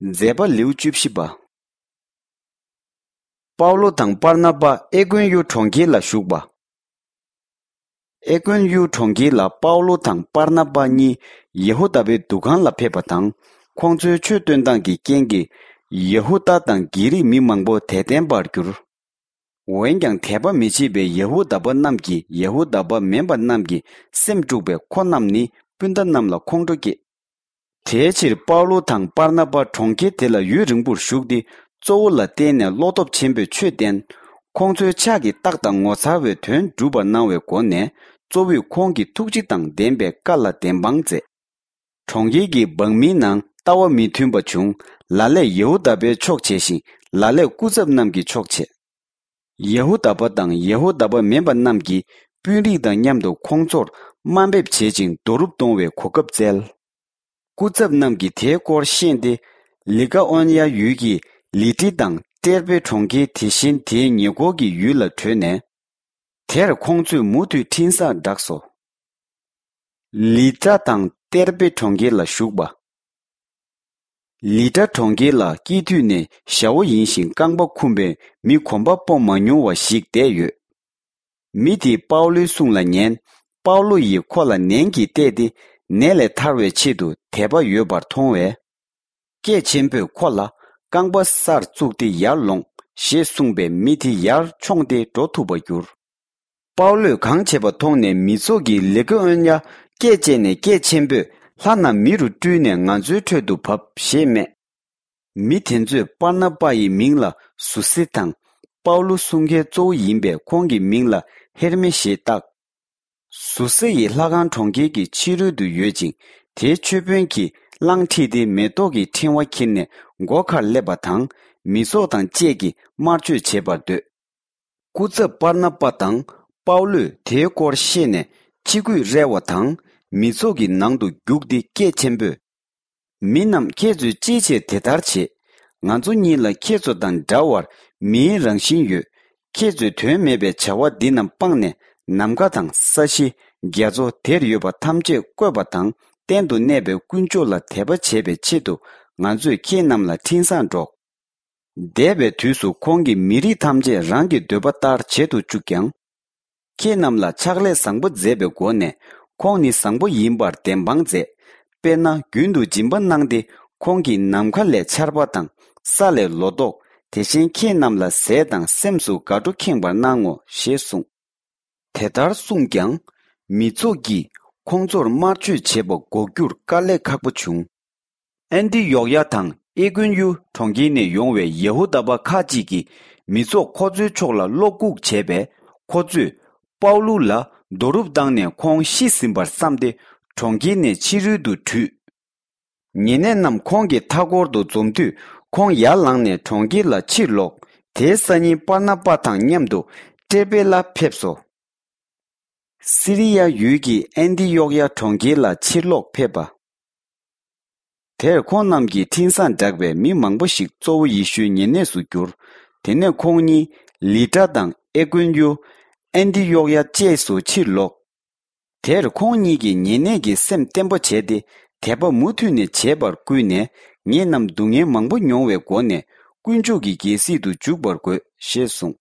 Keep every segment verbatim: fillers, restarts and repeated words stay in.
མཛད་པ་ལེའུ་བཅུ་བཞི་པ། པའུ་ལོ་དང་པར་ན་པ་ཨེ་ཀོན་ཡུ་གྲོང་ཁྱེར་ལ་བཞུགས་པ། ཨེ་ཀོན་ཡུ་གྲོང་ཁྱེར་ལ་པའུ་ལོ་དང་པར་ན་པ་གཉིས་ཡེ་ཧུ་དཱ་པའི་འདུ་ཁང་ལ་ཕེབས་པ་དང་། ཁོང་ཚོའི་ཆོས་སྟོན་སྟངས་ཀྱི་རྐྱེན་གྱིས་ཡེ་ཧུ་དཱ་དང་གྷི་རིག་མི་མང་པོ་དད་ལྡན་པར་གྱུར། འོན་ཀྱང་དད་པ་མི་བྱེད་པའི་ཡེ་ཧུ་དཱ་པ་རྣམས་ཀྱིས་ཡེ་ཧུ་དཱ་པ་མིན་པ་རྣམས་ཀྱི་སེམས་དཀྲུགས་པས་ཁོ་རྣམས་ནི་སྤུན་ཟླ་རྣམས་ལ་ཁོང་ཁྲོ་སྐྱེས། དེའི་ཕྱིར་པའུ་ལོ་དང་པར་ན་པ་གྲོང་ཁྱེར་དེ་ལ་ཡུན་རིང་པོར་བཞུགས་ཏེ། གཙོ་བོ་ལ་བརྟེན་ནས་བློ་སྟོབས་ཆེན་པོས་ཆོས་བསྟན། ཁོང་ཚོའི་ཕྱག་གིས་བརྟགས་དང་ངོ་མཚར་བའི་དོན་བསྒྲུབས་པར་གནང་བའི་སྒོ་ནས། གཙོ་བོས་ཁོང་གི་ཐུགས་རྗེ་དང་ལྡན་པའི་བཀའ་ལ་བདེན་དཔང་མཛད། གྲོང་ཁྱེར་གྱི་འབངས་མིའི་ནང་ལྟ་བ་མི་མཐུན་པ་བྱུང་། ལ་ལས་ཡེ་ཧུ་དཱ་པའི་ཕྱོགས་བྱས་ཤིང་། ལ་ལས་སྐུ་ཚབ་རྣམས་ཀྱི་ཕྱོགས་བྱས། ཡེ་ཧུ་དཱ་པ་དང་ཡེ་ཧུ་དཱ་པ་མིན་པ་རྣམས་ཀྱིས་དཔོན་རིགས་དང་མཉམ་དུ་ཁོང་ཚོར་དམའ་འབེབས་བྱེད་ཅིང་རྡོ་རུབ་གཏོང་བའི་གོ་སྐབས་བཙལ། སྐུ་ཚབ་རྣམས་ཀྱིས་དེའི་སྐོར་ཤེས་ཏེ། ལི་ཀ་ཨོན་ཡ་ཡུལ་གྱི་ལི་ཏྲི་དང་ཏེར་པེ་གྲོང་ཁྱེར། དེ་བཞིན་དེའི་ཉེ་འཁོར་གྱི་ཡུལ་ལ་བྲོས་ནས། དེར་ཁོང་ཚོས་མུ་མཐུད་འཕྲིན་བཟང་བསྒྲགས་སོ། ལི་ཏྲ་དང་ཏེར་པེ་གྲོང་ཁྱེར་ལ་བཞུགས་པ། ལི་ཏྲ་གྲོང་ཁྱེར་ལ་སྐྱེས་དུས་ནས་ཞ་བོ་ཡིན་ཞིང་རྐང་པ་འཁུམས་པའི་མི་གོམ་པ་སྤོ་མ་མྱོང་བ་ཞིག་བསྡད་ཡོད། མི་དེས་པའུ་ལོའི་གསུང་ལ་ཉན། པའུ་ལོ་ཡིས་ཁོ་ལ་ནན་གྱིས་བལྟས་ཏེ། ནད་ལས་ཐར་བའི་ཆེད་དུ་དད་པ་ཡོད་པར་མཐོང་བས། སྐད་ཆེན་པོས་ཁོ་ལ། རྐང་པ་སར་བཙུགས་ཏེ་ཡར་ལོངས། ཞེས་གསུངས་པས་མི་དེ་ཡར་མཆོངས་ཏེ་འགྲོ་ཐུབ་པར་གྱུར། པའུ་ལོས་གང་བྱས་པ་མཐོང་ནས་མི་ཚོགས་ཀྱིས་ལི་ཀ་ཨོན་ཡ་སྐད་བཅད་ནས་སྐད་ཆེན་པོས། ལྷ་རྣམས་མི་རུ་སྤྲུལ་ནས་ང་ཚོའི་ཁྲོད་དུ་བབས། ཞེས་སྨྲས། མི་དེ་ཚོས་པར་ན་པ་ཡི་མིང་ལ་ཟུ་སེ་དང་། པའུ་ལོ་གསུང་མཁན་གཙོ་བོ་ཡིན་པས་ཁོང་གི་མིང་ལ་ཧེར་མེ་ཞེས་བཏགས། ཟུ་སེ་ཡི་ལྷ་ཁང་གྲོང་ཁྱེར་གྱི་ཕྱི་རོལ་དུ་ཡོད་ཅིང་། དེའི་མཆོད་དཔོན་གྱིས་གླང་ཁྲིད་དེ་མེ་ཏོག་གི་ཕྲེང་བ་འཁྱེར་ནས་སྒོ་ཁར་སླེབས་པ་དང་། མི་ཚོགས་དང་བཅས་ཀྱིས་དམར་མཆོད་བྱེད་པར་འདོད། སྐུ་ཚབ་པར་ན་པ་དང་པའུ་ལོས་དེའི་སྐོར་ཤེས་ནས་ཕྱི་གོས་རལ་བ་དང་མི་ཚོགས་ཀྱི་ནང་དུ་རྒྱུགས་ཏེ་སྐད་ཆེན་པོས། མི་རྣམས་ཁྱེད་ཚོས་ཅིའི་ཕྱིར་དེ་ལྟར་བྱེད། ང་ཚོ་གཉིས་ལ་ཁྱེད་ཚོ་དང་འདྲ་བར་མིའི་རང་བཞིན་ཡོད། ཁྱེད་ཚོས་དོན་མེད་པའི་བྱ་བ་འདི་རྣམས་སྤངས་ནས། ནམ་མཁའ་དང་ས་གཞི། རྒྱ་མཚོ། དེར་ཡོད་པ་ཐམས་ཅད་བཀོད་པ་དང་གཏན་དུ་གནས་པའི་དཀོན་མཆོག་ལ་དད་པ་བྱེད་པའི་ཆེད་དུ། ང་ཚོས་ཁྱེད་རྣམས་ལ་འཕྲིན་བཟང་སྒྲོག། འདས་པའི་དུས་སུ་ཁོང་གིས་མི་རིགས་ཐམས་ཅད་རང་གི་འདོད་པ་ལྟར་བྱེད་དུ་བཅུག་ཀྱང་། ཁྱེད་རྣམས་ལ་ཕྱག་ལས་བཟང་པོ་མཛད་པའི་སྒོ་ནས། ཁོང་ནི་བཟང་པོ་ཡིན་པར་བདེན་དཔང་མཛད། དཔེར་ན། རྒྱུན་དུ་སྦྱིན་པ་གནང་སྟེ། ཁོང་གིས་ནམ་མཁའ་ལས་ཆར་པ་དང་། ས་ལས་ལོ་ཏོག། དེ་བཞིན་ཁྱེད་རྣམས་ལ་ཟས་དང་སེམས་སུ་དགའ་སྤྲོ་ཁེངས་པར་གནང་ངོ་། ཞེས་གསུངས། དེ་ལྟར་གསུངས་ཀྱང་། མི་ཚོགས་ཀྱིས་ཁོང་ཚོར་དམར་མཆོད་བྱེད་པ་འགོག་རྒྱུར་དཀའ་ལས་ཁག་པོ་བྱུང་། ཨན་ཏི་ཡོག་ཡ་དང་ཨེ་ཀོན་ཡུ་གྲོང་ཁྱེར་ནས་ཡོང་བའི་ཡེ་ཧུ་དཱ་པ་ཁག་ཅིག་གིས་མི་ཚོགས་ཁོ་ཚོའི་ཕྱོགས་ལ་བློ་འགུག་བྱས་པས། ཁོ་ཚོས་པའུ་ལུ་ལ་རྡོ་རུབ་བཏང་ནས་ཁོང་ཤི་ཟིན་པར་བསམས་ཏེ། གྲོང་ཁྱེར་ནས་ཕྱི་རོལ་དུ་བྲོས། ཉེ་གནས་རྣམས་ཁོང་གི་མཐའ་འཁོར་དུ་འཛོམས་དུས། ཁོང་ཡར་ལངས་ནས་གྲོང་ཁྱེར་ལ་ཕྱིར་ལོག། དེའི་སང་ཉིན་པར་ན་པ་དང་མཉམ་དུ་ཏྲེ་པེ་ལ་ཕེབས་སོ། སི་རི་ཡ་ཡུལ་གྱི་ཨན་ཏི་ཡོག་ཡ་གྲོང་ཁྱེར་ལ་ཕྱིར་ལོག་ཕེབས་པ། དེར་ཁོང་རྣམས་ཀྱིས་འཕྲིན་བཟང་བསྒྲགས་པས་མི་མང་པོ་ཞིག་གཙོ་བོ་ཡེ་ཤུའི་ཉེ་གནས་སུ་གྱུར། དེ་ནས་ཁོང་གཉིས་ལི་ཏྲ་དང་ཨེ་ཀོན་ཡུ། ཨན་ཏི་ཡོག་ཡ་བཅས་སུ་ཕྱིར་ལོག། དེར་ཁོང་གཉིས་ཀྱིས་ཉེ་གནས་ཀྱི་སེམས་བརྟན་པོ་བྱས་ཏེ། དད་པ་མུ་མཐུད་ནས་བྱེད་པར་བསྐུལ་ནས། ངེད་རྣམས་སྡུག་བསྔལ་མང་པོ་མྱོང་བའི་སྒོ་ནས། དཀོན་མཆོག་གི་རྒྱལ་སྲིད་དུ་འཇུག་པར་དགོས། ཞེས་གསུངས།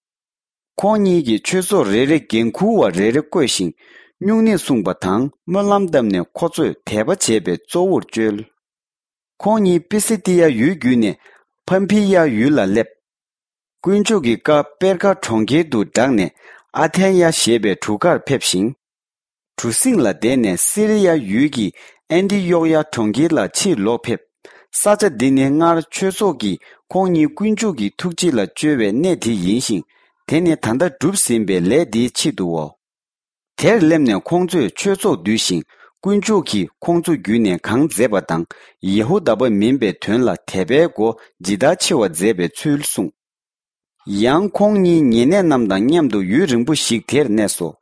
ཁོང་གཉིས་ཀྱིས་ཆོས་ཚོགས་རེ་རེ་འགན་འཁུར་བ་རེ་རེ་བསྐོས་ཤིང་། སྨྱུང་གནས་གསུངས་པ་དང་སྨོན་ལམ་བཏབ་ནས་ཁོ་ཚོས་དད་པ་བྱེད་པའི་གཙོ་བོར་བཅོལ། ཁོང་གཉིས་པི་སི་ཏི་ཡ་ཡུལ་བརྒྱུད་ནས་ཕམ་ཕི་ཡ་ཡུལ་ལ་སླེབས། དཀོན་མཆོག་གི་བཀའ་པེར་ཀ་གྲོང་ཁྱེར་དུ་བསྒྲགས་ནས་ཨ་ཐན་ཡ་ཞེས་པའི་གྲུ་ཁར་ཕེབས་ཤིང་། གྲུ་གཟིངས་ལ་བསྡད་ནས་སི་རི་ཡ་ཡུལ་གྱི་ཨན་ཏི་ཡོག་ཡ་གྲོང་ཁྱེར་ལ་ཕྱིར་ལོག་ཕེབས། ས་ཆ་འདི་ནི་སྔར་ཆོས་ཚོགས་ཀྱིས་ཁོང་གཉིས་དཀོན་མཆོག་གི་ཐུགས་རྗེ་ལ་བཅོལ་བའི་གནས་དེ་ཡིན་ཞིང་། དེ་ནི་ད་ལྟ་གྲུབ་ཟིན་པའི་ལས་འདིའི་ཆེད་དུའོ། དེར་སླེབས་ནས་ཁོང་ཚོས་ཆོས་ཚོགས་བསྡུས་ཤིང་། དཀོན་མཆོག་གིས་ཁོང་ཚོ་བརྒྱུད་ནས་གང་མཛད་པ་དང་། ཡེ་ཧུ་དཱ་པ་མིན་པའི་དོན་ལ་དད་པའི་སྒོ་ཇི་ལྟར་ཕྱེ་བ་མཛད་པའི་ཚུལ་གསུངས། ཡང་ཁོང་གཉིས་ཉེ་གནས་རྣམས་དང་མཉམ་དུ་ཡུན་རིང་པོ་ཞིག་དེར་གནས་སོ།